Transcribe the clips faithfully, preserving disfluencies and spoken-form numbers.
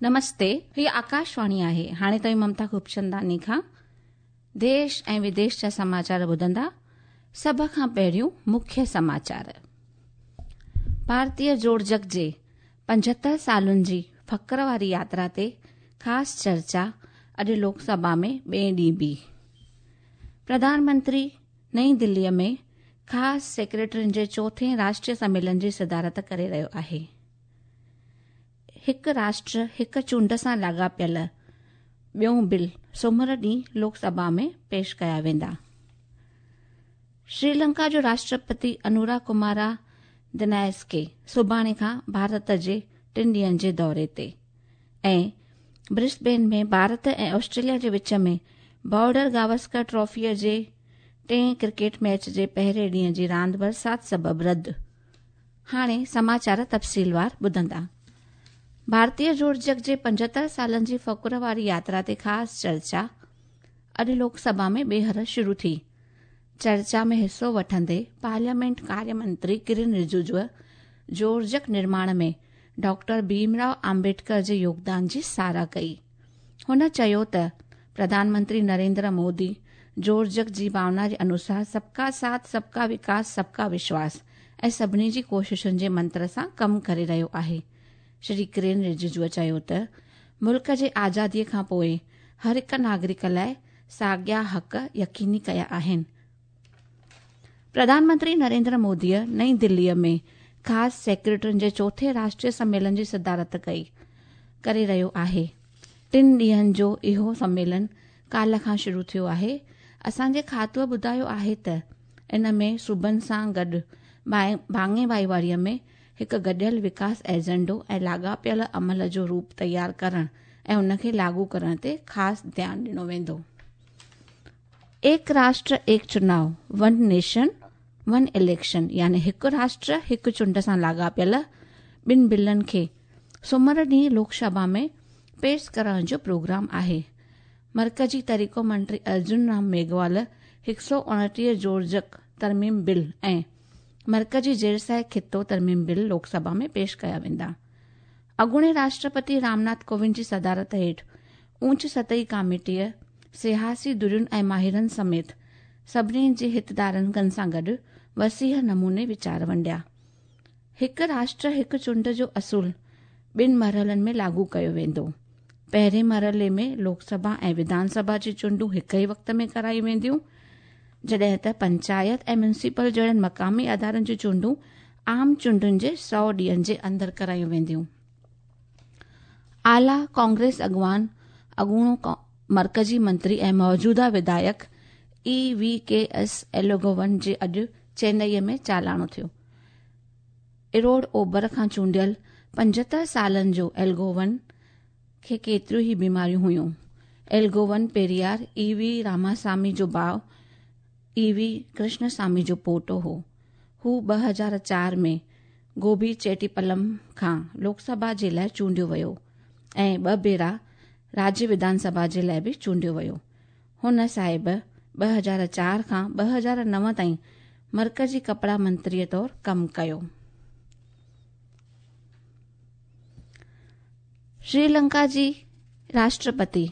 नमस्ते, ही आकाशवाणी आहे. हाणे तव्हीं ममता खूबचंदानी खां देश ऐं विदेश जा समाचार ॿुधंदा. सभ खां पहिरियों मुख्य समाचार. भारतीय जोड़जक जे पंजहतरि सालुनि जी फ़क्र वारी यात्रा ते ख़ासि चर्चा अॼु लोकसभा में ॿिए ॾींहुं बि. प्रधानमंत्री नई दिल्लीअ में ख़ासि सेक्रेटरियुनि जे चोथें राष्ट्रीय सम्मेलन जी सदारत करे रहियो आहे. हिकु राष्ट्र हिकु चूंड सां लाॻापियल ॿियो बिल सोमर ॾींहुं लोकसभा में पेश कया वेंदा. श्रीलंका जो राष्ट्रपति अनुरा कुमारा दिनायस्के सुभाणे खां भारत जे टिनि ॾींहंनि जे दौरे ते ऐं ब्रिस्बेन में भारत ऐं ऑस्ट्रेलिया जे विच में बॉर्डर गावस्कर ट्रॉफीअ जे टें क्रिकेट मैच जे पहिरें ॾींहं जी रांदि बरसाति सबबु रद्द. हाणे समाचार तफ़सीलवार ॿुधंदा. भारतीय जोड़जक जे पंजहतरि सालनि जी फ़क्र वारी यात्रा ते ख़ासि चर्चा अॼु लोकसभा में ॿीहर शुरू थी. चर्चा में हिसो वठंदे पार्लियामेंट कार्य मंत्री किरण रिजिजूअ जोड़जक निर्माण में डॉक्टर भीमराव आम्बेडकर जे योगदान जी सराह कई. हुन चयो त प्रधानमंत्री नरेंद्र मोदी जोड़जक जी भावना जे अनुसार सबका साथ, सबका विकास, सबका विश्वास ऐं सभिनी जी कोशिशुनि जे मंत्र सां कमु करे रहियो आहे. श्री किरण रिजिजूअ चयो त मुल्क जे आज़ादीअ खां पोइ हर हिकु नागरिक लाइ साॻिया हक़ यकीनी कया आहिनि. प्रधानमंत्री नरेंद्र मोदीअ नई दिल्लीअ में ख़ासि सेक्रेटरियुनि जे चोथें राष्ट्रीय सम्मेलन जी सदारत कई करे रहियो आहे. टिनि ॾींहंनि जो इहो सम्मेलन काल्ह खां शुरू थियो आहे. असांजे खातूअ ॿुधायो आहे त इन में सूबनि सां गॾु भाङे भाईवारीअ में हिकु गॾियल विकास एजेंडो ऐं लाॻापियल अमल जो रूप तयारु करण ऐं उनखे लागू करण ते ख़ासि ध्यानु ॾिनो वेंदो. एक राष्ट्र एक चुनाव, वन नेशन वन इलेक्शन यानी हिकु राष्ट्र हिकु चूंड सां लाॻापियल ॿिनि बिलनि खे सोमर ॾींहुं लोकसभा में पेश करण जो प्रोग्राम आहे. मर्कज़ी तरीक़ो मंत्री अर्जुन राम मेघवाल हिकु सौ उणिटीह जोड़जक तरमीम बिल ऐं मर्कज़ी ज़ेरसाए ख़ितो तरमीम बिल लोकसभा में पेश कया वेंदा. अॻूणे राष्ट्रपति रामनाथ कोविंद जी सदारत हेठि ऊंच सतही कमेटीअ सियासी धुरियुनि ऐं माहिरनि समेत सभिनी जे हितधारकनि सां गॾु वसीह नमूने वीचार वंडिया. हिकु राष्ट्र हिकु चूंड जो असूल ॿिनि मरहलनि में लागू कयो वेंदो. पहिरें मरहले में लोकसभा ऐं विधानसभा जी चूंडूं हिकु ई वक़्त में करायूं वेंदियूं, जॾहिं त पंचायत ऐं म्युनिसिपल जहिड़नि मक़ामी अदारनि जूं चूंडूं आम चूंडुनि जे सौ ॾींहंनि जे अंदरि करायूं वेंदियूं. आला कांग्रेस अॻवान, अॻूणो मर्कज़ी मंत्री ऐं मौजूदा विधायक ई वी के एस एलोगोवन जे अॼु चेन्नईअ में चालाणो थियो. इरोड ओबर खां चूंडियल पंजहतरि सालनि जो एलगोवन खे केतिरियूं ई बीमारियूं हुयूं. एलगोवन पेरियार ई वी रामासामी जो भाउ ई वी कृष्णसामी जो पोटो हो. हू ॿ हज़ार चार में गोभी चेटीपलम खां लोकसभा जे लाइ चूंडियो वियो ऐं ॿ भेरा राज्य विधानसभा जे लाइ बि चूंडियो वियो. हुन साहिब ॿ हज़ार चार खां ॿ हज़ार नव ताईं मर्कज़ी कपिड़ा मंत्रीअ तौरु कमु कयो. श्रीलंका जी राष्ट्रपति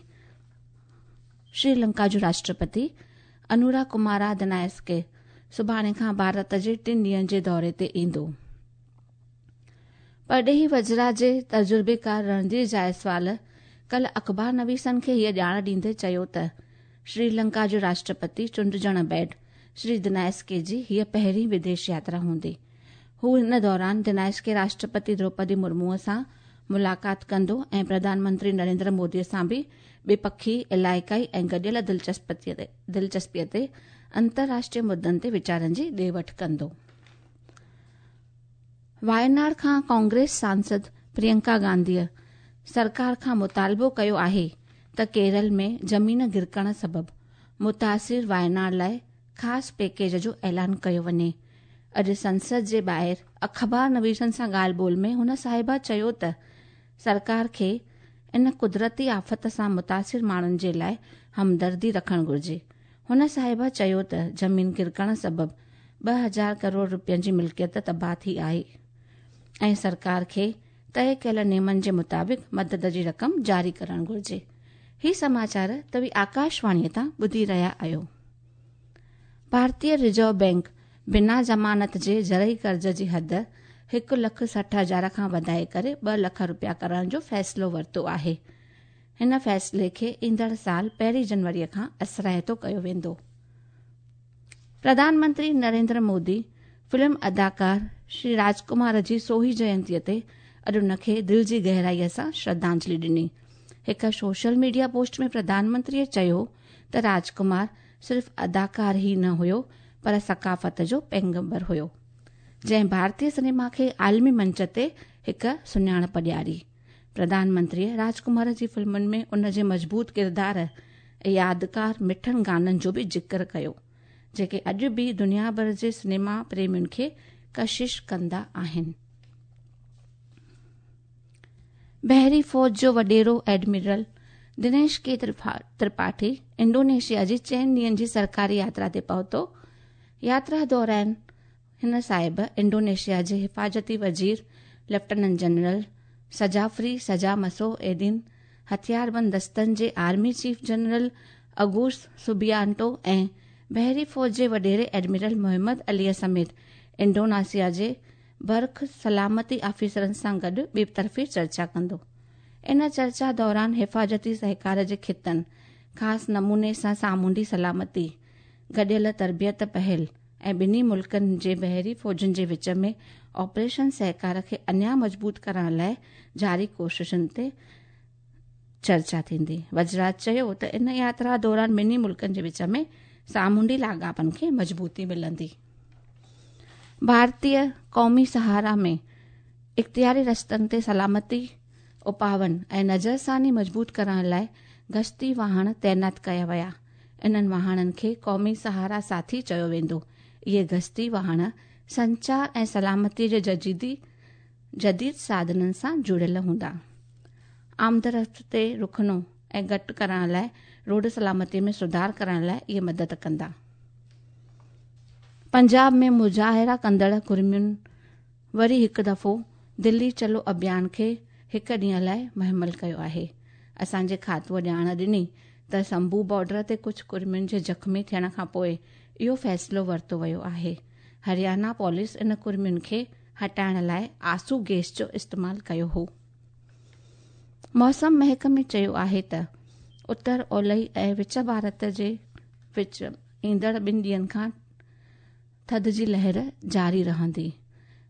श्रीलंका जो राष्ट्रपति अनुरा कुमारा दिनायस्के सुभाणे खां भारत जे टिनि ॾींहंनि जे दौरे ते ईंदो. परॾेही वज़रा जे तजुर्बेकार रणधीर जायसवाल कल्ह अख़बार नवीसनि खे हीअ ॼाण ॾींदे चयो त श्रीलंका जो राष्ट्रपति चूंडिजण बैड श्री दिनायस्के जी हीअ पहिरीं विदेश यात्रा हूंदी. हू इन दौरान दिनायस्के राष्ट्रपति द्रौपदी मुर्मूअ सां मुलाक़ात कंदो ऐं प्रधानमंत्री नरेंद्र मोदीअ सां बि ॿिपखी, इलाइक़ाई ऐं गॾियल दिलचस्पीअ ते अंतर्राष्ट्रीय मुद्दनि ते वीचारनि जी ॾे वठि कंदो. वायनाड खां कांग्रेस सांसद प्रियंका गांधीअ सरकार खां मुतालबो कयो आहे त केरल में ज़मीन गिरकण सबबु मुतासिर वायनाड लाइ ख़ासि पैकेज जो ऐलान कयो वञे. अॼु संसद जे ॿाहिरि अख़बार नवीसनि सां ॻाल्हि ॿोल में हुन साहिबा चयो त सरकार खे इन कुदरती आफ़त सां मुतासिर माण्हुनि जे लाइ हमदर्दी रखणु घुरिजे. हुन साहिबा चयो त ज़मीन गिरकण सबबु ॿ हज़ार करोड़ रुपयनि जी मिल्कियत तबाह थी आहे ऐं सरकार खे तय कयल नियमनि जे मुताबिक़ मदद जी रक़म जारी करणु घुरिजे। ही समाचार तव्हीं आकाशवाणीअ तां ॿुधी रहिया आहियो। भारतीय रिज़र्व बैंक बिना ज़मानत जे ज़रई कर्ज़ जी हद हिकु लख सठि हज़ार खां वधाए करे ॿ लख रुपया करण जो फ़ैसिलो वरितो आहे। हिन फ़ैसिले खे ईंदड़ साल पहिरीं जनवरीअ खां असराइतो कयो वेंदो। प्रधानमंत्री नरेंद्र मोदी फिल्म अदाकार श्री राजकुमार जी सोही जयंतीअ ते अॼु उनखे दिलि जी गहराईअ सां श्रद्धांजलि ॾिनी। हिकु सोशल मीडिया पोस्ट में प्रधानमंत्रीअ चयो त राजकुमार सिर्फ़ अदाकार ई न हुयो पर सकाफ़त जो पैगंबर हुयो, जंहिं भारतीय सिनेमा खे आलमी मंच ते हिकु सुञाणप ॾियारी। प्रधानमंत्रीअ राजकुमार जी फिल्मुनि में उन जे मज़बूत किरदार ऐं यादगार मिठनि गाननि जो बि ज़िक्र कयो, जेके अॼु बि दुनिया भर जे सिनेमा प्रेमियुनि खे कशिश कंदा आहिनि। बहरी फ़ौज जो वॾेरो एडमिरल दिनेश के त्रिपाठी इंडोनेशिया जी चइनि ॾींहंनि जी सरकारी यात्रा ते पहुतो। यात्रा दौरान हिन साहिब इंडोनेशिया जे हिफाज़ती वज़ीर लेफ्टिनेंट जनरल सजाफरी सजामसो एदिन, हथियारबंद दस्तनि जे army chief general Agus Subianto ऐं बहरी फ़ौज जे वॾेरे एडमिरल मोहम्मद अलीअ समेत इंडोनेशिया जे बर्ख सलामती ऑफिसरनि सां गॾु ॿितरफ़ी चर्चा कंदो। इन चर्चा दौरान हिफाज़ती सहकार जे ख़ितनि, ख़ासि नमूने सां सामुंडी सलामती, गॾियल तरबियत पहल ऐं ॿिन्ही मुल्कनि जे बहरी फ़ौजुनि जे विच में ऑपरेशन सहकार खे अञा मज़बूत करण लाइ जारी कोशिशुनि ते चर्चा थींदी। वज़रात चयो त इन यात्रा दौरान ॿिन्ही मुल्कनि जे विच में सामुंडी लाॻापनि खे मज़बूती मिलंदी। भारतीय क़ौमी सहारा में इख़्तियारी रस्तनि ते सलामती उपाउनि ऐं नज़रसानी मज़बूत करण लाइ गश्ती वाहन तैनात कया विया। इन्हनि वाहननि खे क़ौमी सहारा साथी चयो वेंदो। इहे गश्ती वाहन संचार ऐं सलामतीअ जे जदीदी जदीद साधननि सां जुड़ियल हूंदा। आमदरफ़्त ते रुखणो ऐं घटि करण लाइ रोड सलामतीअ में सुधार करण लाइ इहे मदद कंदा। पंजाब में मुज़ाहिरा कंदड़ कुर्मियुनि वरी हिकु दफ़ो दिल्ली चलो अभियान खे हिकु ॾींहं लाइ मुहमल कयो आहे। असांजे खातूअ ॼाण ॾिनी त शंभू बॉर्डर ते कुझु कुर्मियुनि जे ज़ख़्मी थियण खां पोइ इहो फ़ैसिलो वरितो वियो आहे। हरियाणा पुलिस इन कुर्मियुनि खे हटाइण लाइ आंसू गैस जो इस्तेमालु कयो हो। मौसम महकमे चयो आहे त उत्तर ओलही ऐं विच भारत जे विच ईंदड़ ॿिनि ॾींहंनि खां थधि जी लहर जारी रहंदी।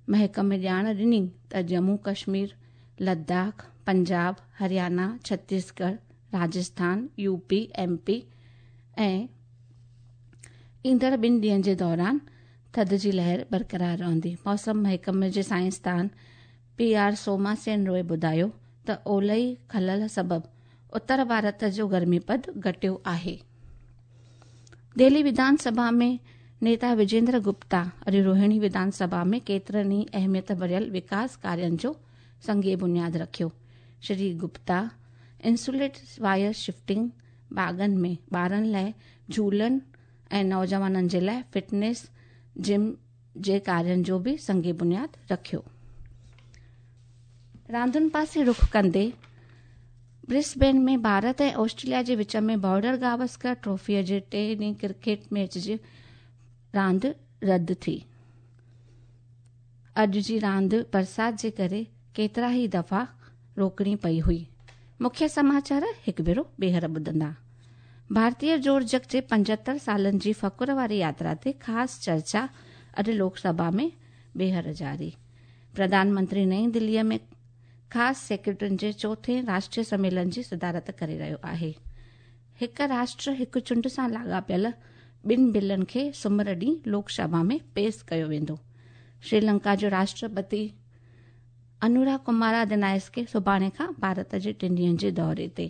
महकमे ॼाण ॾिनी त जम्मू कश्मीर, लद्दाख, पंजाब, हरियाणा, छत्तीसगढ़, राजस्थान, यूपी, एमपी ऐं ईंदड़ ॿिनि ॾींहंनि जे दौरान थधि जी लहर बरक़रार रहंदी। मौसम महकमे जे साइंसदान पी आर सोमासेन रोय ॿुधायो त ओलही ख़लल सबबु उत्तर भारत जो गर्मी पद घटियो आहे। दिल्ली विधानसभा में नेता विजेंद्र गुप्ता अॼु रोहिणी विधानसभा में केतिरनि ई अहमियत भरियल विकास कार्यनि जो संगे बुनियाद रखियो। Shri Gupta insulate wire shifting, बाग़नि में ॿारनि लाइ झूलनि ऐं नौजवाननि जे लाइ फिटनेस जिम जे कार्यनि जो बि संगे बुनियाद रखियो। रांदुनि पासे रुख कंदे ब्रिस्बेन में भारत ऐं ऑस्ट्रेलिया जे विच में बॉर्डर गावस्कर ट्रॉफीअ जे टे ॾींहं क्रिकेट मैच जी रांदि रद्द थी। अॼु जी रांदि बरसाति जे करे केतिरा ई दफ़ा रोकणी पई हुई। मुख्य समाचार हिकु भेरो ॿीहर ॿुधंदा। भारतीय जोड़जक जे पंजहतरि सालनि जी फ़क़ुर वारी यात्रा ते ख़ासि चर्चा अॼु लोकसभा में ॿीहर जारी। प्रधानमंत्री नई दिल्लीअ में ख़ासि सेक्रेटरियुनि जे चोथे राष्ट्रीय सम्मेलन जी सदारत करे रहियो आहे। हिकु राष्ट्र हिकु चूंड सां लाॻापियल ॿिनि बिलनि खे सुमर ॾींहुं लोकसभा में पेश कयो वेंदो। श्रीलंका जो राष्ट्रपति अनुरा कुमारा दिनायस्के सुभाणे खां भारत जे टिनि ॾींहंनि जे दौरे ते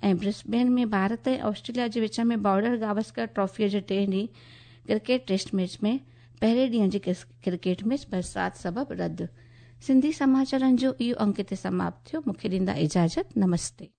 ऐं ब्रिस्बेन में भारत ऐं ऑस्ट्रेलिया जे विच में बॉर्डर गावस्कर ट्रॉफीअ जे टे ॾींहं क्रिकेट टेस्ट मैच में पहिरें ॾींहं जी क्रिकेट मैच बरसाति सबबु रद्द। सिंधी समाचारनि जो इहो अंक हिते समाप्त थियो। मूंखे ॾींदा इजाज़त। नमस्ते।